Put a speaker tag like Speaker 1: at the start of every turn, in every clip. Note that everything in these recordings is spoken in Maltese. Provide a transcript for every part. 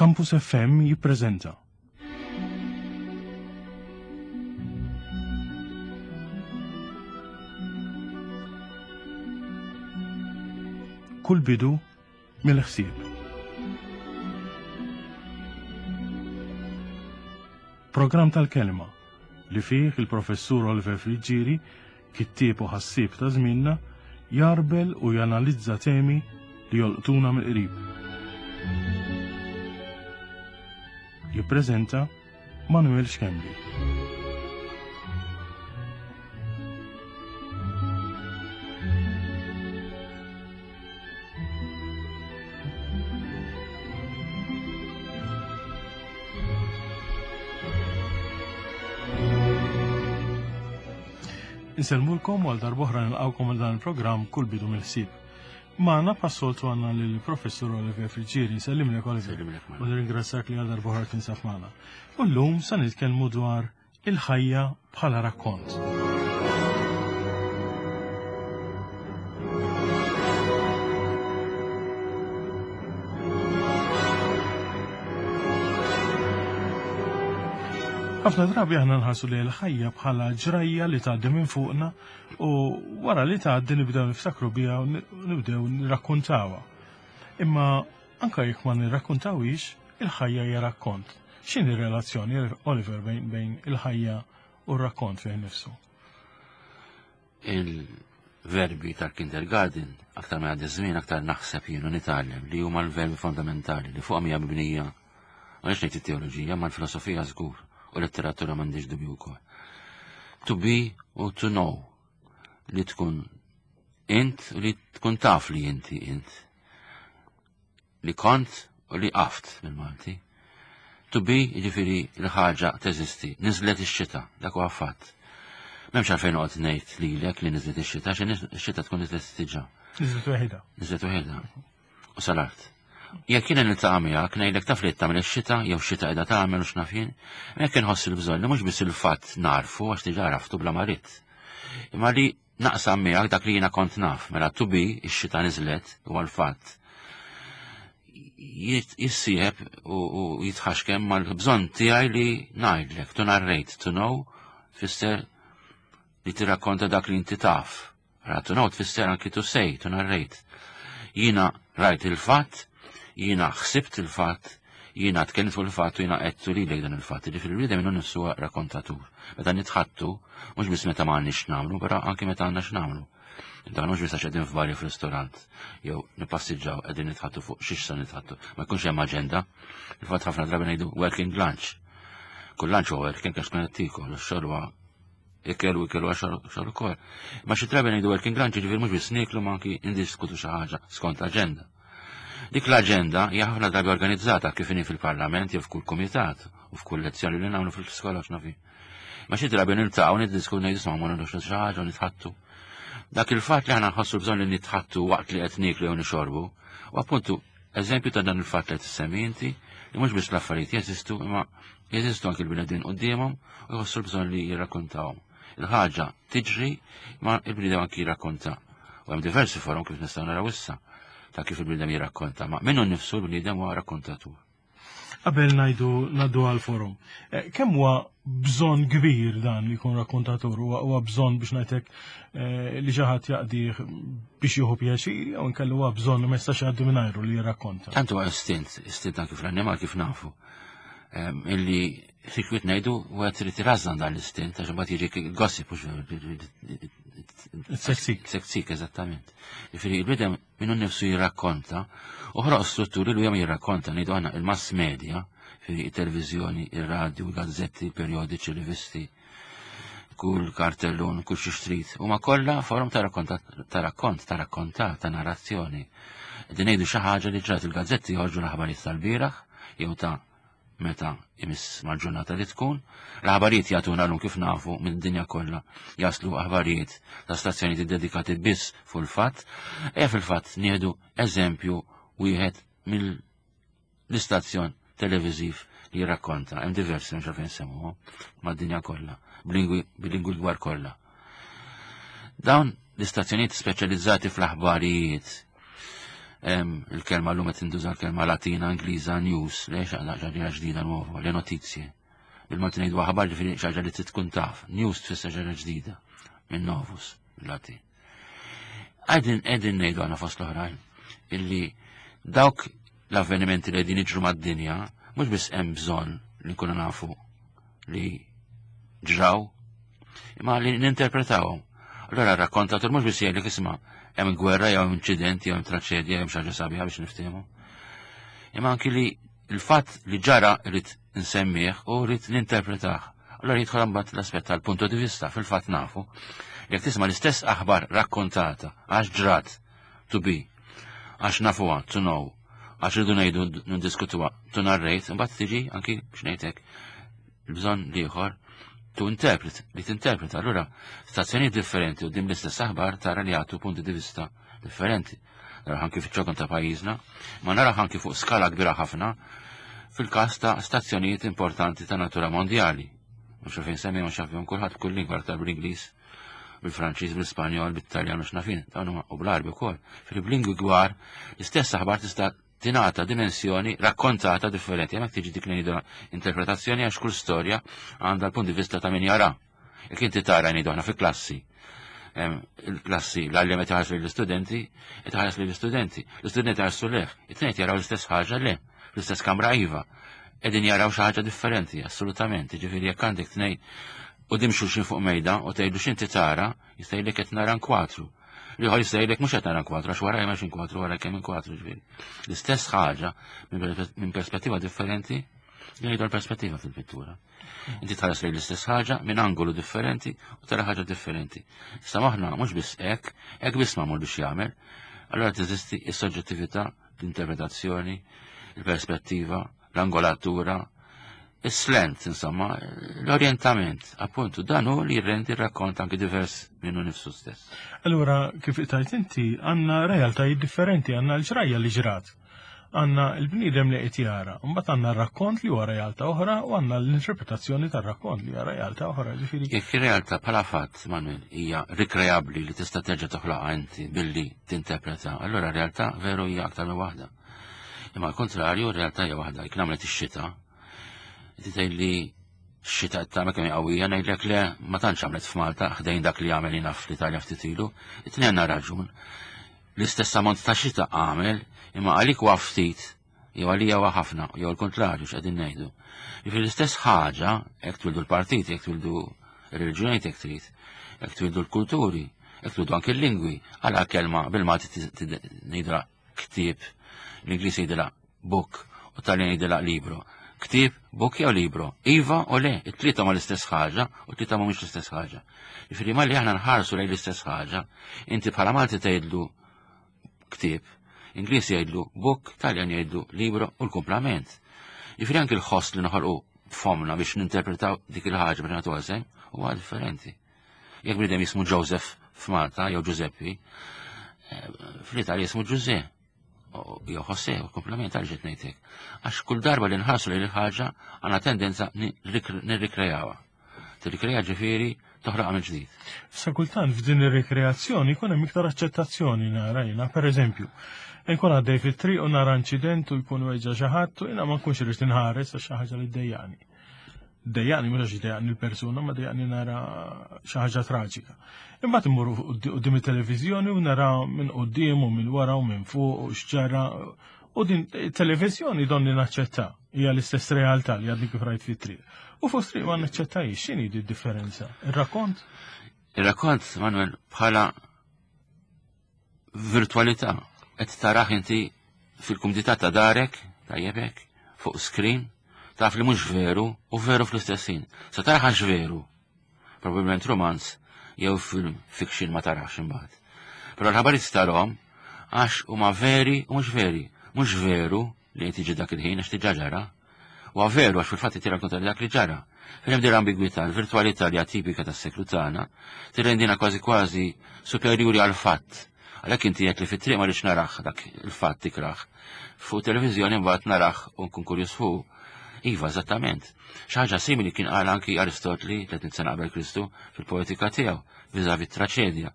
Speaker 1: Campus FM jippreżenta. Kull bidu mill-ħsieb. Programm tal-kelma li fih il-professur Oliver Friggieri, kittieb u ħassieb ta' żmienna, jarbel u janalizza temi li jolqtuna mill-qrib. Jippreżenta Manuel Schembri. Insellmulkom għal darbohra nilqawkom għal dan il-programm kull bidu mill-ħsieb. Magħna bħas-soltu għandna lill-Professur Oliver Friggieri, nsellimlek Oliver. U nirringrazzjak li għal darbohra tinsab magħna. U llum sa nitkellmu dwar il-ħajja bħala rakkont. Ħafna drabi aħna nħarsu li l-ħajja bħala ġrajja li tgħaddi minn fuqna u wara li tgħaddi nibdew niftakru biha u nibdew nirrakkuntawha. Imma anka jekk ma nirrakkuntawhiex, il-ħajja hija rakkont. X'inhi r-relazzjoni, Oliver, bejn il-ħajja u r-rakkont fih nifsu?
Speaker 2: Il-verbi tal-kindergarten, aktar ma jgħaddi żmien aktar naħseb jien u nitgħallem li huma l-verbi fondamentali li fuqhom hija mibnija ma nix ngħid it-teoloġija, ma l-filosofija żgur u letteratura m'għandix dubju wkoll. To be u to know li tkun int u li tkun taf li inti int. Li kont u li qaft bil-Malti. To be, jiġifieri l-ħaġa teżisti. Niżlet ix-xita, dak huwa fatt. M'hemmx għalfejn noqgħod ngħid lilek li niżlet ix-xita, għax ix-xita tkun niżlet diġà.
Speaker 1: Niżlet waħedha.
Speaker 2: Niżlet waħedha. U sal-art. Jekk jiena niltaqa' miegħek ngħidlek taf li qed tagħmel ix-xita jew xita qiegħda tagħmel u x'naf jien, hekk inħoss il-bżonn li mhux biss il-fatt narfu għax diġà għaraftu bla ma ridt. Imma li Naqsam miegħek dak li jiena kont naf, mela to be, ix-xita niżlet, huwa l-fatt. Jissieħeb u jitħaxkem mal-bżonn tiegħi li ngħidlek, to narrate, to know, tfisser li tirrakkonta dak li inti taf. Ra to know tfisser anki to say, to narrate. Jiena rajt il-fatt, jiena ħsibt il-fatt, Jiena tkellimt fuq il-fatt u jiena għedtu lilek dan il-fatt. Jiġifieri l-bniedem minnu nnifsu huwa rakkontatur. Meta nitħattu, mhux biss meta ma għandniex x'nagħmlu, però anki meta għandna x'nagħmlu. Dan mhux biss għax qegħdin f'barri f'ristorant jew nippassiġġaw qegħdin nitħattu fuq xiex se nitħattu. Ma jkunx hemm aġenda. Il-fatt ħafna drabi ngħidu working lunch. Kull lunch huwa working għax tkun qed tiekol, ix-xogħol huwa ikel u ikel u xogħol ukoll. Ma xi drabi ngħidu working lunch jiġifieri mhux biss nieklu ma anki ndiskutu xi ħaġa skont aġenda. Dik l-aġenda hija ħafna drabi organizzata kif inhi fil-Parlament jew f'kull kumitat u f'kull lezzjoni li nagħmlu fil-iskola x'nafi. Ma xi drabi niltaqgħu niddisku ngħidu isma' ma nagħmlux xi ħaġa u nitħattu. Dak il-fatt li aħna nħossu bżonn li nitħattu waqt li qed nieklu jew nixorbu, u appuntu eżempju ta' dan il-fatt li qed issemmi inti li mhux biss l-affarijiet jeżistu imma jeżistu anki l-bnedmin quddiemhom u jħossu l-bżonn li jirrakkontawhom. Il-ħaġa tiġri ma il-bniedem anki jirrakkonta. U hemm diversi forom kif nistgħu naraw issa ta' kif il-bniedem jirrakkonta, ma minnu nnifsu l-bniedem huwa rakkontatur.
Speaker 1: Qabel ngħidu ngħaddu għal forum, eh, kemm huwa bżonn kbir dan li jkun rakkontatur, huwa bżonn biex ngħidlek eh, li xi ħadd jaqdih biex jieħu pjaċir jew inkella huwa bżonn ma jistax jgħaddi mingħajru li jirrakkonta.
Speaker 2: Tant huwa istint, istint anki fl-annimal kif nafu. Ehm, illi sikwit ngħidu u qed trid irażżan dan l-istint għax imbagħad jiġi gossip mhux
Speaker 1: Seksik.
Speaker 2: Seksik, eżattament. Jiġifieri il-bidem minnu nnifsu jirrakkonta u ħroq strutturi li jom jirrakkonta ngħidu aħna il-mass media, jiġifieri it-televiżjoni, ir-radju, il-gazzetti, il-perjodiċi, rivisti, kull kartellun, kull xi xtrid, huma kollha forum ta' rakkont, ta' rakkont, ta' rakkonta, ta' narrazzjoni. Qegħdin ngħidu xi ħaġa li ġrat il-gazzetti joħorġu l-aħbarijiet tal-bieraħ jew ta' meta imiss mal-ġurnata li tkun. L-aħbarijiet jagħtuna llum kif nafu minn dinja kollha jaslu aħbarijiet ta' stazzjonijiet iddedikati biss fuq il-fatt. E fil-fatt nieħdu eżempju wieħed mill-istazzjon televiżiv li jirrakkonta, hemm diversi mhux għalfejn semmuhom mad-dinja kollha, b'lingwi bil-lingwi l-kbar kollha. Dawn l-istazzjonijiet speċjalizzati fl-aħbarijiet. Il-kelma l-lum qed tintuża l-kelma Latina, Ingliża, news, le xi ħaġa ġdida nuova, le notizie. Bil-Malti ngħidu aħbar ġifieri xi ħaġa li trid tkun taf. News tfisser xi ħaġa ġdida minn novus bil-Latin. Qegħdin qegħdin ngħidu għandna fost l-oħrajn illi dawk l-avvenimenti li qegħdin jiġru mad-dinja mhux biss hemm bżonn li nkunu nafu li ġraw, imma li ninterpretawhom. Allora r-rakkontatur mhux biss jgħidlek isma' hemm gwerra jew inċident jew hemm traċedja jew xi ħaġa sabiħa biex niftehmu. Imma anki li il-fatt li ġara rrid nsemmih u rrid ninterpretah. Allora jidħol imbagħad l-aspett tal-punto di vista fil-fatt nafu jekk tisma' l-istess aħbar rakkontata għax ġrat to be, għax nafuha to know, għax rridu ngħidu niddiskutuha to narrate, imbagħad tiġi anki biex ngħidlek il-bżonn l-ieħor to interpret, li tinterpreta. Allura stazzjonijiet differenti u dim l-istess aħbar tara li jagħtu punti di vista differenti. Naraw anki fiċ-ċokon ta' pajjiżna, ma naraw anki fuq skala kbira ħafna fil-każ ta' stazzjonijiet importanti ta' natura mondjali. Mhux fejn semmi mhux jafhom kulħadd kull lingwa aktar bl-Ingliż, bil-Franċiż, bil-Ispanjol, bit-Taljan mhux nafin, dawn huma u bl-Arbi wkoll. Fil-lingwi gwar l-istess aħbar tista' tingħata dimensjoni rakkontata differenti. Hemmhekk tiġi dik li ngħidu interpretazzjoni għax kull storja għandha l-punt di vista ta' min jara. Jekk inti tara ngħidu aħna fi klassi, il-klassi l-għalliem qed iħares lill-istudenti, qed iħares lill-istudenti. L-istudenti ħarsu leh, it-tnejn jaraw l-istess ħaġa le, l-istess kamra iva. Qegħdin jaraw xi ħaġa differenti, assolutament. Jiġifieri jekk għandek tnejn quddiem xulxin fuq mejda u tgħidlu x'inti tara, jista' jgħidlek qed nara nkwatru. L-ieħor jista' jgħidlek mhux qed nara nkwatru għax warajja m'hemmx inkwatru wara kemm inkwatru ġifieri. L-istess ħaġa minn perspettiva differenti jgħidu l-perspettiva fil-pittura. Inti tħares lejn l-istess ħaġa minn angolu differenti u tara ħaġa differenti. Issa maħna mhux biss hekk, hekk biss magħmul biex jagħmel. Allura teżisti s-soġġettività, l-interpretazzjoni, il-perspettiva, l-angolatura, is-slant, insomma, l-orientament, appuntu, dan hu li jirrendi r-rakkont anki divers minnu nifsu stess.
Speaker 1: Allura, kif tajt inti, għandna realtajiet differenti, għandna l-ġrajja li ġrat għanna l-bniedem li qed jara, mbagħad għandna r-rakkont li huwa realtà oħra u għandna l-interpretazzjoni tar-rakkont li hija realtà oħra, ġifieri.
Speaker 2: Jekk ir-realtà bħala fatt, Manuel, hija rikreabbli li tista' terġa' toħloqha inti billi tinterpreta, allura r-realtà veru hija aktar minn waħda. Imma l-kontrarju, r-realtà hija waħda, jekk nagħmlet ix-xita, inti tgħid li x-xita qed tagħmel kemm qawwija ngħidlek le ma tantx għamlet f'Malta ħdejn dak li għamel jiena fl-Italja ftit ilu, it-tnejn għandna raġun. L-istess ammont ta' xita għamel, imma għalik huwa ftit, jew għalija huwa ħafna, jew l-kontrarju x'qegħdin ngħidu. Jiġifieri l-istess ħaġa, jekk twildu l-partiti, jekk twildu r-reliġjonijiet jekk trid, jekk twildu l-kulturi, jekk twildu anke l-lingwi, għala kelma bil-Malti ngħidha ktieb, l-Ingliż jgħidilha book u Taljan jgħidilha libro. Ktieb, book jew libro. Iva u le, it-tlieta ma l-istess ħaġa u t-tlieta mhumiex l-istess ħaġa. Jiġifieri malli aħna nħarsu lejn l-istess ħaġa, inti bħala Malti tgħidlu ktieb, Ingliż jgħidlu book, Taljan jgħidlu libro u l-kumplament. Jiġifieri anki l-ħoss li noħolqu fomna biex ninterpretaw dik il-ħaġa biex nagħtuha sehem huwa differenti. Jekk bniedem jismu Joseph f'Malta jew Giuseppe, eh, fl-Italja jismu Giuseppe jew Jose, u komplement għal ġiet ngħidlek. Għax kull darba li nħarsu lejn il-ħaġa għandna tendenza nirrikrejawha. Tirrikreja ġifieri toħloqha minn ġdid.
Speaker 1: Sa kultant f'din ir-rikreazzjoni jkun hemm iktar aċċettazzjoni nara jiena, pereżempju, nkun għaddej fit-triq u nara inċident u jkun weġġa' xi ħadd u jiena ma nkunx irid inħares għax xi ħaġa li ddejjaqni. Dejjaqni mhux għax dejjaqni l-persuna, ma dejjaqni nara xi ħaġa traġika. Imbagħad immur quddiem it-televiżjoni u nara minn quddiem u minn wara u minn fuq u x'ġara u din it-televiżjoni donni naċċetta hija l-istess realtà li għadni kif rajt fit-triq. U fuq triq ma naċċettajx, x'inhi di differenza? Ir-rakkont?
Speaker 2: Ir-rakkont, Manuel, bħala virtualità. Qed tarah inti fil-kumdità ta' darek, tajjeb hekk, fuq screen, taf li mhux veru u veru fl-istess ħin. Sa tarah għax veru. Probabbilment romanz jew film fiction ma tarax imbagħad. Però l-ħabarijiet tarhom għax huma veri u mhux veri. Mhux veru li qed jiġi dak il-ħin għax diġà ġara. Huwa veru għax fil-fatt qed jirrakkonta dak li ġara. Fejn hemm din l-ambigwità, l-virtwalità li hija tipika tas-seklu tagħna, tirrendina kważi kważi superjuri għall-fatt. Għalhekk inti qed li fit-triq ma rridx narah dak il-fatt ikrah. Fuq televiżjoni mbagħad narah u nkun kurjuż fuq. Iva, eżattament. Xi ħaġa simili kien qal anki Aristotli 300 sena qabel Kristu fil-poetika tiegħu viżavi t-traċedja.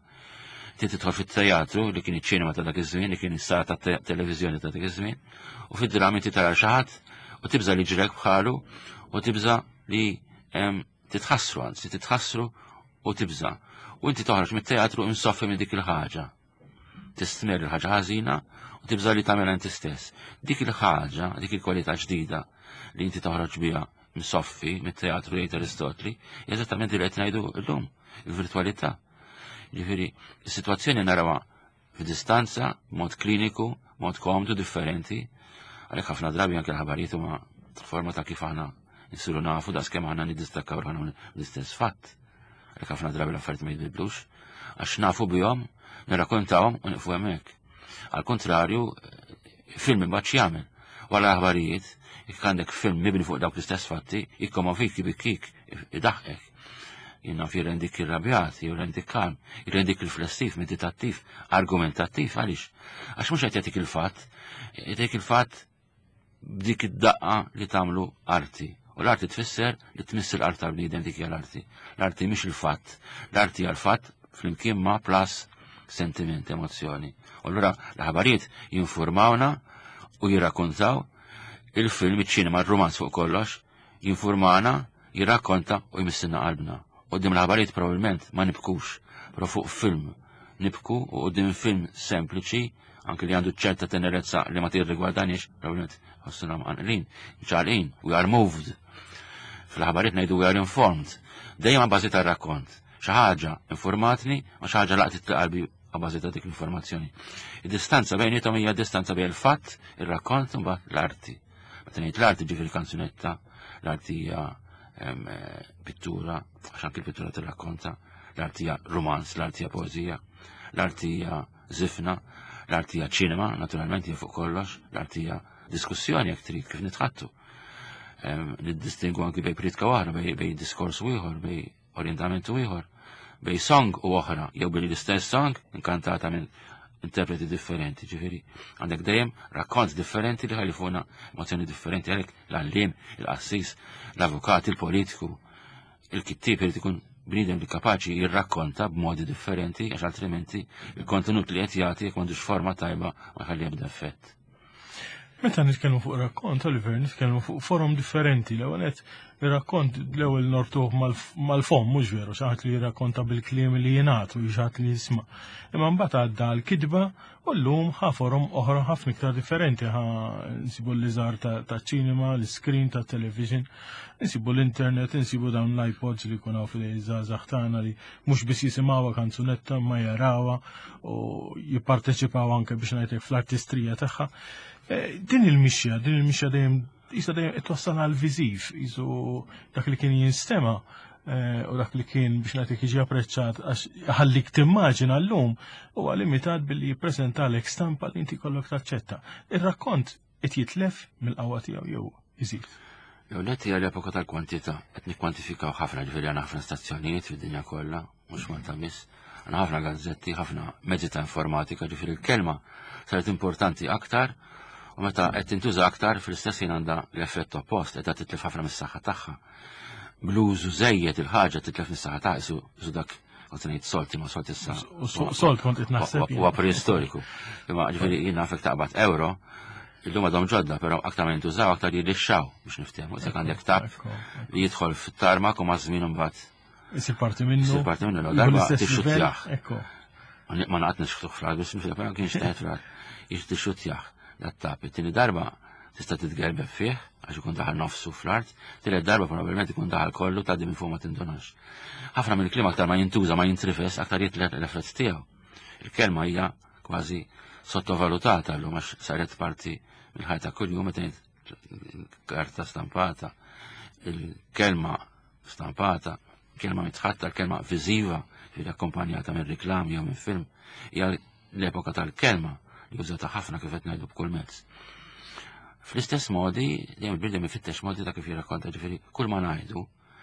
Speaker 2: Ti tidħol fit-teatru li kien iċ-ċinema ta' dak iż-żmien, li kien is-sala ta' televiżjoni ta' dak iż-żmien, u fid-drami inti tara xi ħadd u tibża' li ġrek bħalu u tibża' li titħassru, anzi titħassru u tibża'. U inti toħroġ mit-teatru insoffi minn dik il-ħaġa. Tistmer il-ħaġa ħażina u tibża' li tagħmilha inti stess. Dik il-ħaġa, dik il-kwalità ġdida li inti toħroġ biha msoffi mit-teatru jgħid Aristotli, eżattament li qed ngħidu llum, il-virtwalità. Ġifieri, is-sitwazzjoni narawha f'distanza, mod kliniku, mod komdu, differenti, għalhekk ħafna drabi anke l-ħabarijiet huma forma ta' kif aħna nsiru nafu da skemm aħna niddistakkaw ruħna l-istess fatt. Għalhekk ħafna drabi l-affarijiet ma jitbidlux, għax nafu bihom, nirrakkontawhom u nieqfu hemmhekk. Għal kontrarju, film imbagħad x'jagħmel? Wara l-aħbarijiet, jekk għandek film mibni fuq dawk l-istess fatti, jikkomovik, jibikkik, idaħqek. Jien naf jirrendik irrabjat, jirrendik kalm, jirrendik riflessiv, meditattiv, argumentattiv, għaliex? Għax mhux qed jagħtik il-fatt, jagħtik il-fatt b'dik id-daqqa li tagħmlu arti. U l-arti tfisser li tmiss il-qalb tal-bniedem dik hija l-arti. L-arti mhix il-fatt, l-arti hija l-fatt flimkien ma' plus sentiment, emozzjoni. U allura l-ħabarijiet jinformawna u jirrakkontaw il-film, iċ-ċinema, il-romanz fuq kollox, jinformana, jirrakkonta u jmissilna qalbna. Quddiem l-aħbarijiet probabbilment ma nibkux, però fuq film nibku u quddiem film sempliċi, anke li għandu ċerta tenerezza li ma tirrigwardanix, probabbilment ħossuna mqanqlin, ċarqin, we are moved. Fl-aħbarijiet ngħidu we are informed. Dejjem bażi tar-rakkont. Xi ħaġa informatni ma xi ħaġa laqtit qalbi bażi ta' dik l-informazzjoni. Id-distanza bejnietom hija distanza bejn il-fatt, ir-rakkont u mbagħad l-arti. Meta ngħid l-arti ġifieri kanzunetta, l-arti hija eh, pittura, għax anki l-pittura tirrakkonta, l-arti hija romanz, l-arti hija poeżija, l-arti hija żifna, l-arti hija ċinema, naturalment hija fuq kollox, l-arti hija diskussjoni jekk trid kif nitħattu. Niddistingu anki bej pritka waħda, bej diskors ieħor, bej orientament u ieħor, bej song u oħra, jew billi l-istess song inkantata minn interpreti differenti, ġifieri għandek dejjem rakkont differenti li ħalifuna emozzjoni differenti għalhekk l-għallim, il-qassis, l-avukat, il-politiku, il-kittib irid ikun bniedem li kapaċi jirrakkonta b'modi differenti għax altrimenti il-kontenut li qed jagħti jekk m'għandux forma tajba ma jħalli ebda effett.
Speaker 1: Meta nitkellmu fuq rakkont, Oliver, nitkellmu fuq forom differenti. L-ewwel qed ir-rakkont l-ewwel nortuh mal-fom, mhux veru, xi ħadd li jirrakkonta bil-kliem li jingħad u xi ħadd li jisma'. Imma mbagħad għadda l-kitba u llum ħa forom oħra ħafna iktar differenti ħa nsibu l-liżar ta' ċinema, l-iskrin ta' television, nsibu l-internet, nsibu dawn l-iPods li jkun hawn fil-żgħażagħ tagħna li mhux biss jisimgħuha kanzunetta ma jarawha u jipparteċipaw anke biex ngħidlek fl-artistrija tagħha. Eh, din il-mixja, din il-mixja dejjem jista' dejjem qed twassal għal viżiv, jisu dak li kien jinstema' eh, u dak li kien biex nagħtik jiġi apprezzat għax ħallik timmaġina llum huwa limitat billi jippreżentalek stampa li inti kollok taċċetta. Ir-rakkont qed jitlef mill-qawwa tiegħu jew iżid.
Speaker 2: Jew net hija l-epoka tal-kwantità, qed nikkwantifikaw ħafna ġifieri għandna ħafna stazzjonijiet fid-dinja kollha, mhux Malta biss, għandna ħafna gazzetti, ħafna mezzi ta' informatika, ġifieri l-kelma saret importanti aktar u meta qed tintuża aktar fl-istess ħin għandha l-effett oppost, qed titlef ħafna mis-saħħa tagħha. Bl-użu żejjed il-ħaġa titlef mis-saħħa tagħha, isu dak kont ngħid solti ma solti issa.
Speaker 1: Solt kont qed naħseb.
Speaker 2: Huwa preistoriku. Imma ġifieri jien nafek taqbad euro, illum għadhom ġodda, però aktar ma jintużaw aktar jirrixxaw biex niftehmu. Jekk għandek tap li jidħol fit-tarmak u ma' żmien imbagħad.
Speaker 1: Isir parti minnu.
Speaker 2: Isir parti minnu, darba tixxuttjah. Ma naqgħod nixħtuh fl-art, biex nifhem, però kienx teħet fl-art. Tixxuttjah dat-tap. It-tieni darba tista' titgerbeb fih għax ikun daħal nofsu fl-art, tielet darba probabbilment ikun daħal kollu tgħaddi minn fuq ma tindunax. Ħafna mill-kliem aktar ma jintuża ma jintrifes aktar jitlef l-effett tiegħu. Il-kelma hija kważi sottovalutata llum għax saret parti mill-ħajja ta' kuljum meta karta stampata, il-kelma stampata, kelma mitħatta, kelma viżiva, li akkompanjata minn reklam jew minn film, hija l-epoka tal-kelma li użata ħafna kif qed ngħidu b'kull mezz. Fl-istess modi, dejjem il-bniedem ifittex modi ta' kif jirrakkonta ġifieri kull ma ngħidu,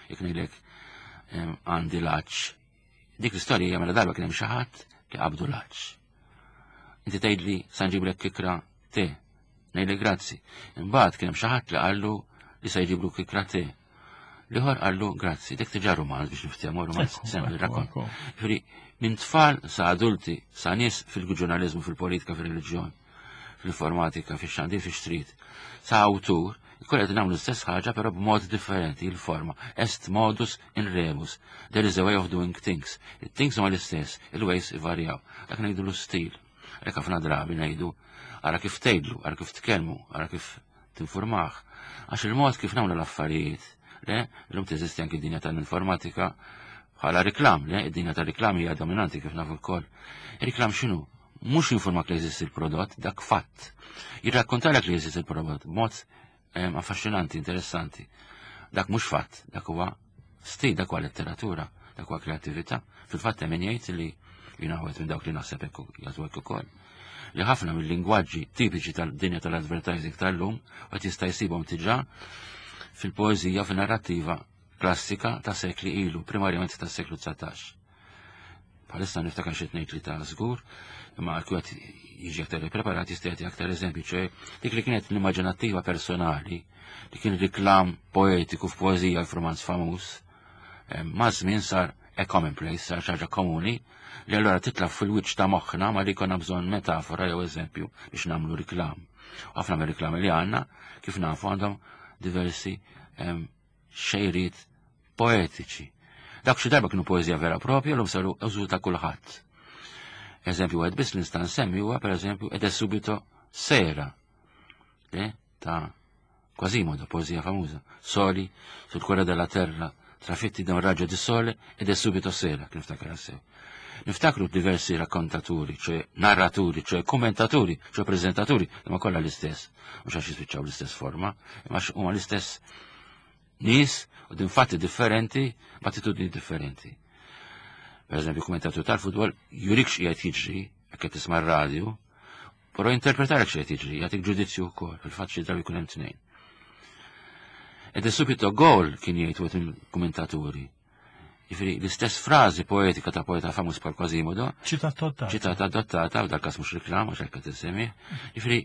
Speaker 2: jekk ngħidlek għandi laċ, dik l-istorja hija mela darba kien hemm xi ħadd li qabdu laċ. Inti tgħidli sa nġiblek kikra te, ngħidlek grazzi. Imbagħad kien hemm xi ħadd li qallu li se jġiblu kikra te. L-ieħor qallu grazzi, dik diġà rumanz biex niftehmu rumanz sempli rakkont. Ġifieri minn tfal sa adulti, sa nies fil-ġurnaliżmu, fil-politika, fil-reliġjon, fil-informatika, fix-xandir, fix-trid, sa awtur, Kull qed nagħmlu l-istess ħaġa però b'mod differenti il-forma. Est modus in rebus. There is a way of doing things. It-things huma l-istess, il-ways ivarjaw. Dak ngħidu l-istil. Hekk ħafna drabi ngħidu ara kif tgħidlu, ara kif tkellmu, ara kif tinfurmah. Għax il-mod kif nagħmlu l-affarijiet, le, illum teżisti anki dinja tal-informatika bħala riklam, le, id-dinja tal-riklam hija dominanti kif nafu lkoll. Riklam x'inhu? Mhux jinformak li jeżisti l-prodott, dak fatt. Jirrakkontalek li jeżisti l-prodott b'mod affaxxinanti, interessanti. Dak mhux fatt, dak huwa stil, dak huwa letteratura, dak huwa kreattività. Fil-fatt hemm min jgħid li jiena minn dawk li naħseb hekk jagħtu hekk ukoll. Li ħafna mill-lingwaġġi tipiċi tal-dinja tal-advertising tal-lum qed jista' jsibhom diġà fil-poeżija fin-narrattiva klassika ta' sekli ilu, primarjament tas seklu 19. Bħalissa niftakar xi tnejn tlieta żgur, imma għal qed jiġi aktar ippreparat jista' jagħti aktar eżempji, ċe dik li kienet l-immaġinattiva personali, li kien riklam poetiku f'poeżija f'romanz famuż, eh, ma' żmien sar a commonplace, sar xi ħaġa komuni, li allura titla' fil-wiċċ ta' moħħna ma li jkollna bżonn metafora jew eżempju biex nagħmlu riklam. Ħafna mir-riklami li għandna, kif nafu għandhom diversi xejriet poetiċi. Dak xi darba kienu poeżija vera propja l saru użu ta' kulħadd. Eżempju wieħed biss li nista' nsemmi huwa pereżempju ed subito sera eh, ta' Quasimodo, poeżija famuża. Soli sul cuore della terra, trafitti da un raggio di sole ed è subito sera, kif niftakar sew. Niftakru diversi rakkontaturi, ċe narraturi, ċe kommentaturi, ċe prezentaturi, imma kollha l-istess. Mhux għax jispiċċaw l-istess forma, imma huma l-istess nies u din fatti differenti, b'attitudni differenti. Per eżempju, kommentatur tal-futbol jurik x'qiegħed jiġri, jekk qed tisma' r-radju, però jinterpretalek x'qed jiġri, jagħtik ġudizzju wkoll, fil-fatt xi drabi jkun hemm tnejn. Ed subito gol kien jgħid wieħed mill-kummentaturi. Jiġifieri l-istess frażi poetika ta' poeta famuż bħal Quasimodo.
Speaker 1: Ċitat adottata.
Speaker 2: Ċitat adottata, u dal-każ mhux reklam għax hekk qed insemmih. Jiġifieri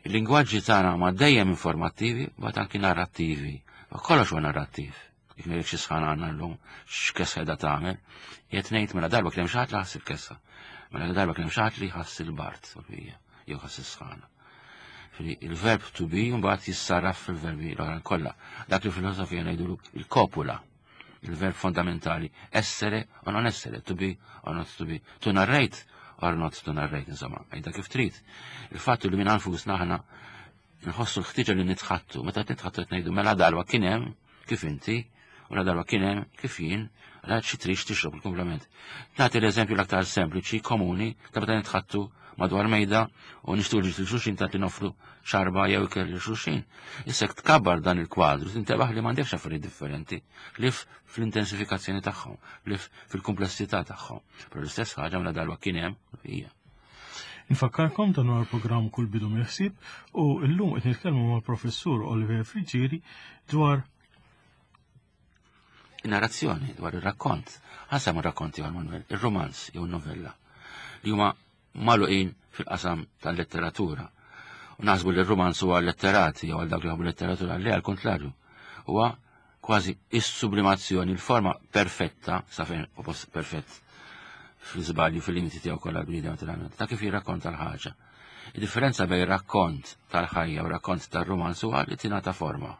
Speaker 2: il-lingwaġġi tagħna ma dejjem informattivi, bat anki narrattivi. Ma kollox huwa narrattiv. Jekk ngħidlek xi sħana għandna llum, x'kessa qiegħda tagħmel, qed ngħid mela darba kien hemm xi ħadd li ħass il-kessa. Mela darba kien hemm xi ħadd li ħass il-bard jew ħass is-sħana. Il-verb to be mbagħad jissarraf fil-verbi l-oħra kollha. Dak li filosofija ngħidulu il-kopula il-verb fondamentali, essere o non essere, to be or not to be, to narrate or not to narrate, insomma, għajda kif trid. Il-fattu li minn anfusna aħna nħossu l-ħtiġa li nitħattu, meta nitħattu qed ngħidu mela darba kien hemm kif inti, u la darba kien hemm kif jien, għal xi trix tixrob il-komplement. Nagħti l-eżempju l-aktar sempliċi, komuni, ta' meta nitħattu madwar mejda u nixtu li xulxin ta' nofru xarba jew ikel li xulxin. Issa tkabbar dan il-kwadru, tintebaħ li m'għandekx affarijiet differenti, li fl-intensifikazzjoni tagħhom, li fil-komplessità tagħhom. Però l-istess ħaġa mela darba kien hemm hija.
Speaker 1: Infakkarkom dan huwa l-programm Kull Bidu Mill-Ħsieb u llum qed nitkellmu mal-Professur Oliver Friggieri dwar
Speaker 2: narrazzjoni dwar ir-rakkont. Ħasem ir-rakkonti għal Manuel, ir-romanz jew novella li huma magħluqin fil-qasam tal-letteratura. U naħsbu li r-romanz huwa letterati jew għal dawk li jħobbu letteratura, le għal kontrarju. Huwa kważi is-sublimazzjoni, il-forma perfetta, sa fejn u post perfett fl-iżbalju fil-limiti tiegħu kollha l-bniedem naturalment, ta' kif jirrakkonta l-ħaġa. Id-differenza bejn rakkont tal-ħajja u rakkont tar-romanz huwa li tingħata forma.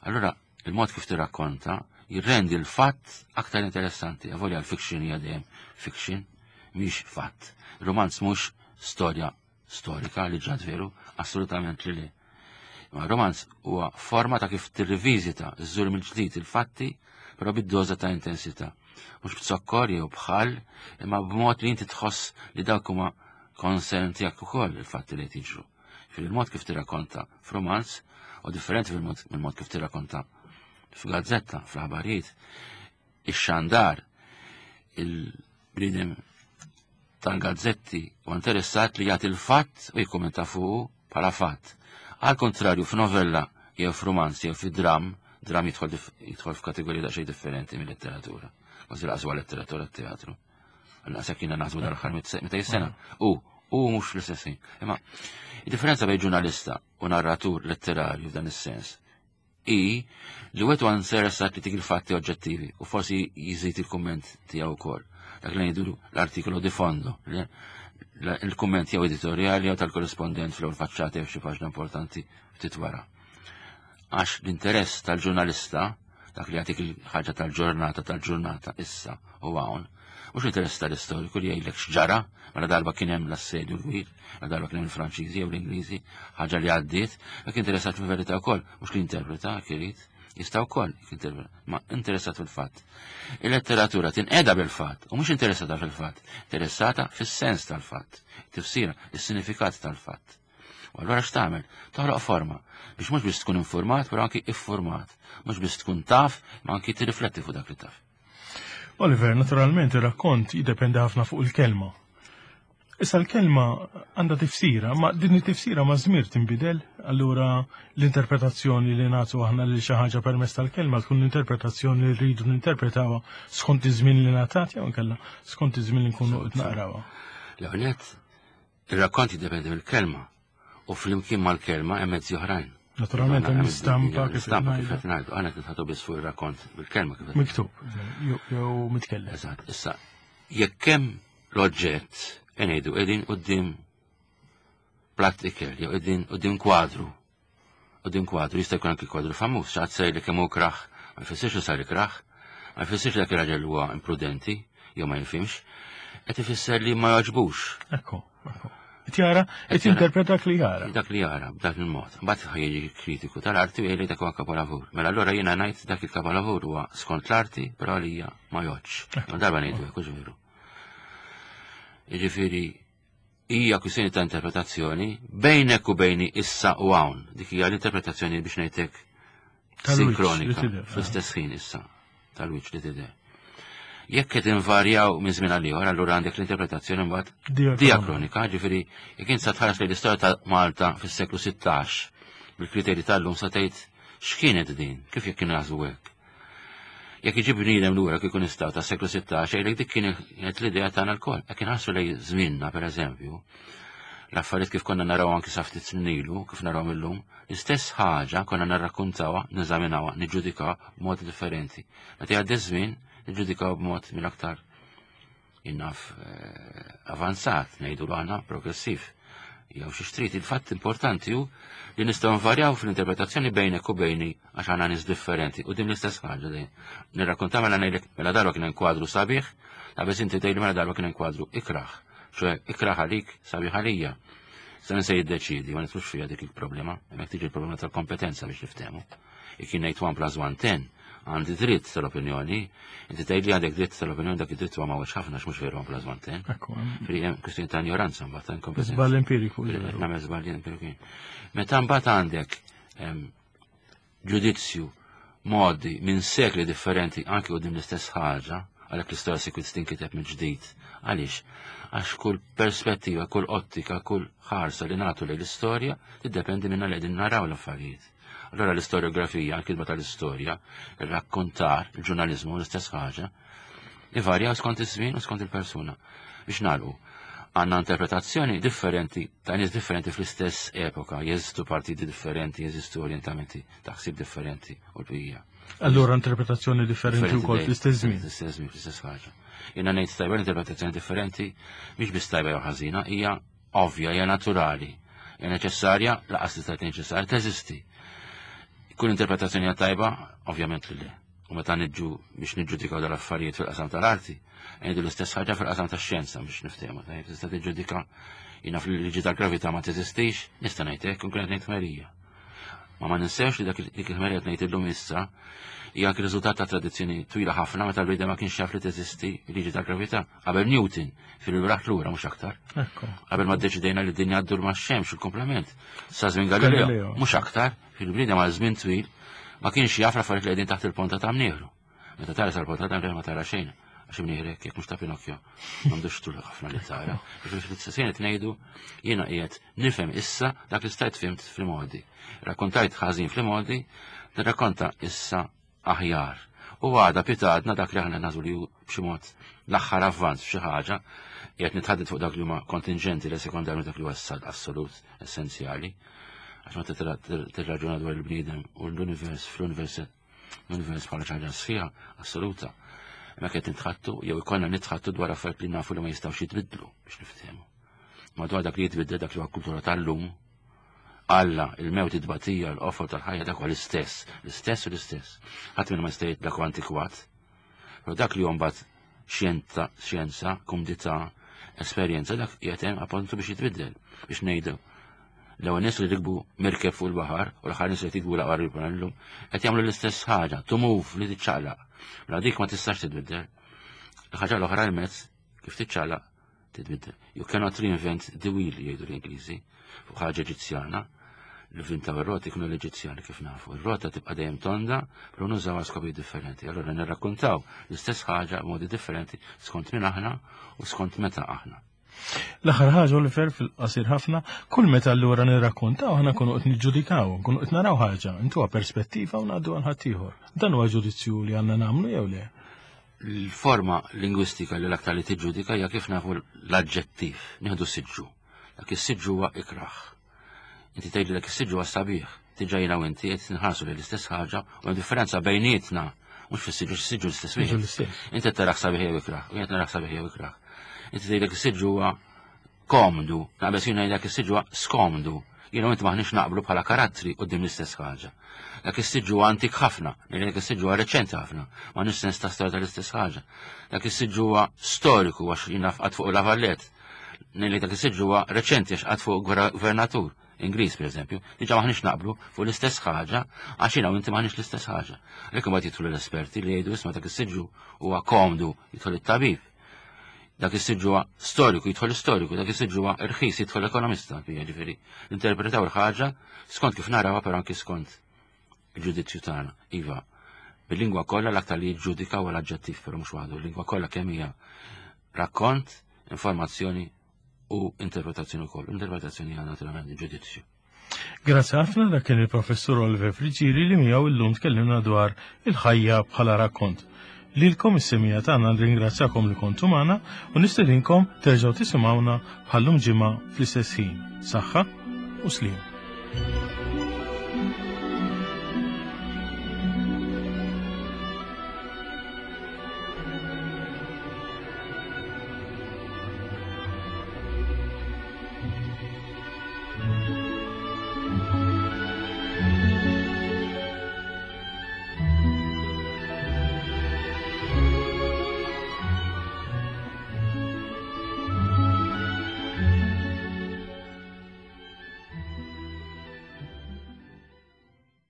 Speaker 2: Allura, il-mod kif tirrakkonta jirrendi l-fatt aktar interessanti. Avolja l-fiction hija dejjem fiction, mhix fatt. Romanz mhux storja storika li ġrat veru, assolutament li le. Ma romanz huwa forma ta' kif tirriviżita żżur mill-ġdid il-fatti, però bid-doża ta' intensità. Mhux b'zokkor jew bħal, imma b'mod li inti tħoss li dawk huma concern tiegħek ukoll il-fatti li qed jiġru. Fil-mod kif tirrakkonta f'romanz u differenti mill-mod kif tirrakkonta f'gazzetta, fl-aħbarijiet, ix-xandar, il-bniedem tal-gazzetti u interessat li jagħti l-fatt u jikkumenta fuqu bħala fatt. Għal kontrarju f'novella jew f'romanz jew fi dram, dram jidħol jidħol f'kategorija daqsxejn differenti mill-letteratura. Kważi laqas huwa letteratura teatru. Naqsek jiena naħsbu dal-aħħar 200 sena. U u mhux fl-istess ħin. Imma id-differenza bejn ġurnalista u narratur letterarju f'dan is-sens. hi li wieħed huwa interessat li tik il-fatti oġġettivi u forsi jiżid il-kumment tiegħu wkoll. Dak li ngħidu l-artikolu di fondo, il-kumment jew editorjali jew tal-korrispondent fl-ewwel faċċata jew xi paġna importanti ftit wara. Għax l-interess tal-ġurnalista, dak li jagħtik il-ħaġa tal-ġurnata tal-ġurnata issa u hawn, mhux l-interess tal-istoriku li jgħidlek x'ġara, mela darba kien hemm l-assedju l-kbir, mela darba kien hemm il-Franċiżi jew l-Ingliżi, ħaġa li għaddiet, dak interessat fil-verità wkoll, mhux li interpreta irid, jista' wkoll jinterpreta, ma interessat fil-fatt. Il-letteratura tinqeda bil-fatt u mhux interessata fil-fatt, interessata fis-sens tal-fatt, tifsira, is-sinifikat tal-fatt. U allura x'tagħmel? Toħloq forma biex mhux biss tkun informat, però anki iffurmat. Mhux biss tkun taf, ma anki tirrifletti fuq dak li taf.
Speaker 1: Oliver, naturalment ir-rakkont jiddependi ħafna fuq il-kelma. Issa l-kelma għandha tifsira, ma din it-tifsira ma żmir tinbidel, allura l-interpretazzjoni li nagħtu aħna lil xi ħaġa permezz tal-kelma tkun l-interpretazzjoni li rridu ninterpretawha skont iż-żmien li ngħatat jew inkella skont iż-żmien li nkunu qed naqrawha.
Speaker 2: L-ewwel Ir-rakkont jiddependi mill-kelma u flimkien mal-kelma hemm mezzi oħrajn.
Speaker 1: Naturalment hemm l-istampa
Speaker 2: kif istampa kif qed ngħidu, aħna qed nitħatu biss fuq ir-rakkont bil-kelma kif
Speaker 1: miktub jew mitkellem.
Speaker 2: Eżatt, issa jekk hemm l-oġġett ngħidu qegħdin quddiem platt ikel jew qegħdin quddiem kwadru U din kwadru jista' jkun anki kwadru famuż, xi ħadd sejr li kemm hu kraħ, ma jfissirx li sar ikraħ, ma jfissirx li dak ir-raġel huwa imprudenti jew ma jifhimx, qed ifisser li ma jogħġbux.
Speaker 1: Ekku, ekku. Qed jara, qed jinterpreta dak li jara.
Speaker 2: Dak li jara, b'dak il-mod. Mbagħad ħajjiġi kritiku tal-arti u jgħid dak huwa kapolavur. Mela allura jiena ngħid dak il-kapolavur huwa skont l-arti, però għalija ma jgħodx. Ma darba ngħidu hekk, veru. Jiġifieri hija kwistjoni ta' interpretazzjoni bejnek u bejni issa u hawn. Dik hija l-interpretazzjoni biex ngħidlek sinkronika fl-istess ħin issa tal-wiċċ li tidher. Jekk qed invarjaw minn żmien għal ieħor, allura għandek l-interpretazzjoni mbagħad diakronika, ġifieri jekk int sa tħares lejn l-istorja ta' Malta fis-seklu 16 bil-kriterji tal-lum sa tgħid x'kienet din, kif jekk kienu jaħsbu hekk. Jekk iġib bniedem lura kieku nistgħu tas-seklu 16, jgħidlek dik kienet l-idea tagħna lkoll. Jekk inħarsu lejn żmienna pereżempju, l-affarijiet kif konna naraw anki sa ftit snin ilu, kif naraw illum, l-istess ħaġa konna narrakkuntawha, neżaminawha, niġġudikawha b'mod differenti. Meta jgħaddi żmien, niġġudikaw b'mod mill-aktar innaf eh, avanzat, ngħidu aħna progressiv. Jew xi xtrid il-fatt importanti hu li nistgħu nvarjaw fl-interpretazzjoni bejnek u bejni għax għandna nies differenti u din l-istess ħaġa dejjem. Nirrakkonta mela ngħidlek mela darba kien hemm kwadru sabiħ, ta' biss inti tgħidli mela darba kien hemm kwadru ikraħ. ċoe ikraħ għalik sabiħ għalija. Sa se jiddeċidi, ma nidħlux fiha dik il-problema, hemmhekk tiġi l-problema tal-kompetenza biex niftehmu. Jekk jien ngħid 1 plus 1 10, għandi dritt tal-opinjoni, inti tgħid li għandek dritt tal-opinjoni dak id-dritt huwa mawġ ħafna x'mhux veru 1 plus 1 10. Fri hemm kwistjoni ta' ignoranza mbagħad ta' inkompetenza.
Speaker 1: Żball empiriku.
Speaker 2: Nagħmel żball empiriku. Meta mbagħad għandek ġudizzju modi minn sekli differenti anki u din l-istess ħaġa, għalhekk l-istorja sikwit tinkiteb mill-ġdid. Għaliex? Għax kull perspettiva, kull ottika, kull ħarsa li nagħtu lejn l-istorja tiddependi minna li qegħdin naraw l-affarijiet. Allora l-istoriografija, l-kitba tal-istorja, il-rakkontar, il-ġurnalizmu, l-istess ħaġa, ivarjaw skont iż-żmien u skont il-persuna. Biex nagħlqu, għandna interpretazzjoni differenti ta' nies differenti fl-istess epoka, jeżistu partiti differenti, jeżistu orientamenti ta' ħsieb differenti u l-bqija.
Speaker 1: Allura interpretazzjoni differenti wkoll fl-istess żmien.
Speaker 2: Fl-istess żmien, fl-istess ħaġa. Jiena ngħid tajba l-interpretazzjoni differenti mhix biss tajba jew ħażina, hija ovvja, hija naturali, hija neċessarja, laqas tista' tgħid neċessarja, teżisti. Kull interpretazzjoni hija tajba, ovvjament li le. U meta niġu biex niġġudikaw dal-affarijiet fil-qasam tal-arti, ngħidu l-istess ħaġa fil-qasam tax-xjenza biex niftehmu. Tajjeb tista' tiġġudika jiena fil-liġi tal-gravità ma teżistix, nista' ngħid hekk, nkun qed ngħid ħmerija. Ma ma ninsewx li dak dik il-ħmerija qed ngħid illum issa hija anki riżultat ta' tradizzjoni twila ħafna meta l-bniedem ma kienx jaf li teżisti liġi tal-gravità. Qabel Newton, fil-raħ lura mhux aktar. Qabel ma ddeċidejna li d-dinja ddur ma' xemx il-komplement. Sa żmien Galileo, mhux aktar, fil-bniedem għal żmien twil ma kienx jaf l-affarijiet li qegħdin taħt il-ponta ta' mnieħru. Meta tara sal-ponta ta' mnieħru ma tara xejn, għax imnieħrek jekk mhux ta' Pinocchio, m'għandux tul ħafna li tara. Fil-fil qed ngħidu jiena qiegħed nifhem issa dak li stajt fimt fl-modi. Rakkontajt ħażin fl-modi, nirrakkonta issa aħjar. U għada pitadna dak li aħna nażu li hu b'xi mod l-aħħar avvanz f'xi ħaġa, qiegħed nitħadded fuq dak li huma kontingenti li sekondarju dak li huwa assolut essenzjali. Għax meta tirraġuna dwar il-bniedem u l-univers fl-univers l-univers bħala ħaġa sħiħa assoluta. Ma qed nitħattu jew ikollna nitħattu dwar affarijiet li nafu li ma jistgħux jitbiddlu biex niftehmu. Madwar dak li jitbiddel dak li huwa kultura tal-lum, Alla, il-mewt id-batija, l-qofol tal-ħajja dak huwa l-istess, l-istess u l-istess. Ħadd minn ma jista' dak huwa antikwat. Però dak li mbagħad xjenza, xjenza, kumdità, esperjenza dak qiegħed hemm appuntu biex jitbiddel, biex ngħidu. L-ewwel nies li rikbu mirkeb fuq il-baħar u l-aħħar nies li jtikbu l-aqwar illum qed jagħmlu l-istess ħaġa, to move li tiċċaqlaq. Mela dik ma tistax titbiddel. Il-ħaġa l-oħra l-mezz kif tiċċaqlaq titbiddel. You cannot reinvent the wheel jgħidu l-Ingliżi fuq ħaġa Eġizzjana. Li vintaw ir-roti kienu l-Eġizzjani kif nafu. Ir-rota tibqa' dejjem tonda, però nużawha skopi differenti. Allura nirrakkontaw l-istess ħaġa b'modi differenti skont min aħna u skont meta aħna.
Speaker 1: L-aħħar ħaġa Oliver fil-qasir ħafna, kull meta allura nirrakkontaw aħna nkunu qed niġġudikaw, nkunu qed naraw ħaġa, intuha perspettiva u ngħaddu għal ħaddieħor. Dan huwa ġudizzju li għandna nagħmlu jew le?
Speaker 2: L-forma lingwistika li l-aktar li tiġġudika hija kif nafu l-aġġettiv, nieħdu siġġu. Dak is-siġġu huwa ikrah. Inti tgħidli dak is-siġġu huwa sabiħ, diġà jiena u inti qed nħarsu lejn l-istess ħaġa u hemm differenza bejnietna mhux fis-siġġu s-siġġu l-istess wieħed. Inti qed taraħ sabiħ jew ikrah, u jien qed naraħ sabiħ jew ikrah. Inti tgħid dak is-siġġu huwa komdu, naqbeż jien ngħid dak is-siġġu huwa skomdu. Jiena u inti maħniex naqblu bħala karattri quddiem l-istess ħaġa. Dak is-siġġu huwa antik ħafna, ngħid dak is-siġġu huwa reċenti ħafna, m'għandniex sens ta' storja tal-istess ħaġa. Dak is-siġġu huwa storiku għax jiena qatt fuq la Valette. Ngħid dak is-siġġu huwa reċenti għax qatt fuq gvernatur. Ingliż pereżempju, diġà maħniex naqblu fuq l-istess ħaġa għax jiena u inti maħniex l-istess ħaġa. Għalhekk imbagħad jidħlu l-esperti li jgħidu isma' dak is-siġġu huwa komdu jidħol it-tabib. Dak is-siġġu huwa storiku jidħol istoriku, dak is-siġġu huwa irħis jidħol ekonomista, jiġifieri. Interpretaw il-ħaġa skont kif narawha però anki skont il-ġudizzju tagħna. Iva, bil-lingwa kollha l-aktar li jiġġudika huwa l-aġġettiv, però mhux waħdu, il-lingwa kollha kemm hija rakkont, informazzjoni u interpretazzjoni wkoll. Interpretazzjoni hija naturalment ġudizzju.
Speaker 1: Grazzi ħafna dak kien il-Professur Oliver Friggieri li miegħu illum tkellimna dwar il-ħajja bħala rakkont. Lilkom is-semija tagħna nringrazzjakom li kontu magħna u nistedinkom terġgħu tisimgħuna bħallum ġimgħa fl-istess ħin. Saħħa u sliem.